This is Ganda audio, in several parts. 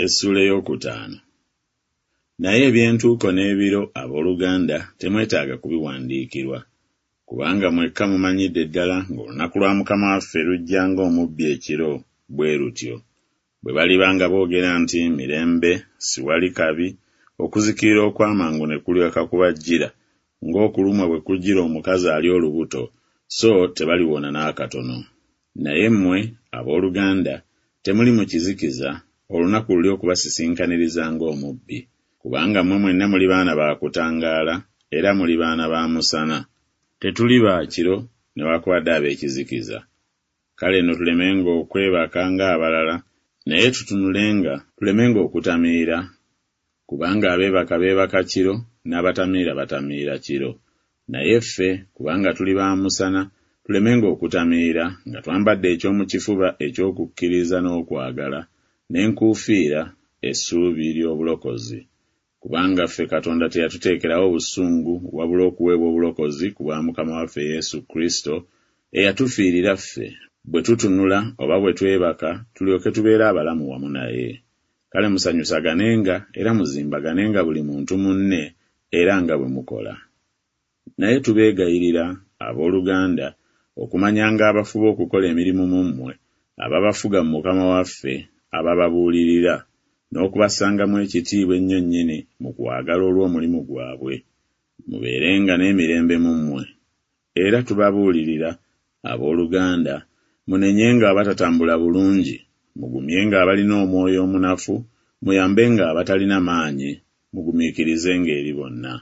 Essuula ey'okutaano. Naye eby'entuuko n'ebiro, ab'oluganda, temwetaaga kubiwandiikirwa. Kubanga mwekka mumanyidde ddala ng'olunaku lwa Mukama waffe lujja ng'omubbi ekiro, bwe lutyo. Bwe baliba nga boogera nti Mirembe, siwali kabi, okuzikirira okw'amangu ne kulyoka kubajjira, ng'okulumwa bwe kujjira omukazi ali olubuto, so tebaliwona n'akatono. Naye mmwe, ab'oluganda, temuli mu kizikiza, olunaku luli okubasisinkaniriza ng'omubbi. Kubanga mmwe mwenna muli baana ba kutangaala, era muli baana ba musana. Tetuli ba kiro newakubadde ab'ekizikiza. Kale nno tulemenga okwebaka ng'abalala, naye tutunulenga, tulemenga okutamiira, kubanga abeebaka beebaka kiro, n'abatamiira batamiira kiro. Naye ffe, kubanga tuli ba musana, tulemenga okutamiira, nga twambadde eky'omu kifuba eky'okukkiriza n'okwagala, n'enkuufiira, essuubi ly'obulokozi. Kubanga ffe Katonda teyatuteekerawo busungu, wabula okuweebwa obulokozi ku bwa Mukama waffe Yesu Kristo, eyatufiirira ffe, bwe tutunula oba bwe twebaka, tulyoke tubeere abalamu wamu naye. Kale musanyusaganenga era muzimbaganenga buli muntu munne, era nga bwe mukola. Naye tubeegayirira, ab'oluganda, okumanyanga abafuba okukola emirimu mu mmwe, ababafuga mu Mukama waffe, abababuulirira, n'okubassangamu ekitiibwa ennyo nnyini mu kwagala olw'omulimu gwabwe. Mubeerenga n'emirembe mu mmwe. Era tubabuulirira, ab'oluganda, munenyenga abatatambula bulungi, mugumyenga abalina omwoyo omunafu, muyambenga abatalina maanyi, mugumiikirizenga eri bonna.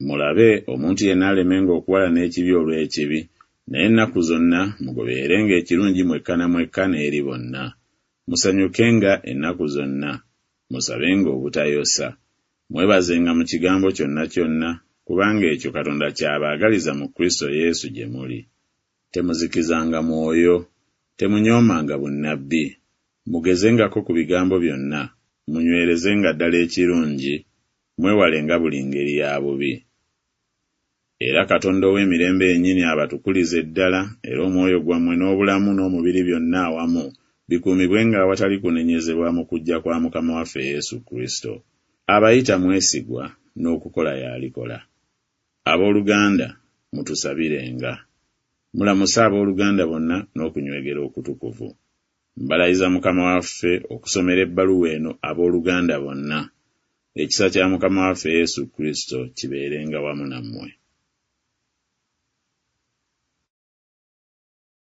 Mulabe, omuntu yenna alemenga okuwalana ekibi olw'ekibi, naye ennaku zonna mugobererenga ekirungi mwekka na mwekka n'eri bonna. Musanyukenga ennaku zonna. Musabenga obutayosa. Mwebazenga mu kigambo kyonna kyonna, kubanga ekyo Katonda ky'abaagaliza mu Kristo Yesu gye muli. Temuzikizanga Mwoyo. Temunyoomanga bunnabbi. Mugezengako ku bigambo byonna, munywerezenga ddala ekirungi, mwewalenga buli ngeri ya bubi. Era Katonda ow'emirembe yennyini abatukulize ddala, era omwoyo gwammwe n'obulamu n'omubiri byonna awamu bikuumibwenga awatali kunenyezebwa mu kujja kwa Mukama waffe Yesu Kristo. Abayita mwesigwa, n'okukola y'alikola. Ab'oluganda, mutusabirenga. Mulamuse ab'oluganda bonna n'okunywegera okutukuvu. Mbalayiza Mukama waffe okusomera ebbaluwa eno ab'oluganda bonna. Ekisa kya Mukama waffe Yesu Kristo kibeerenga wamu nammwe.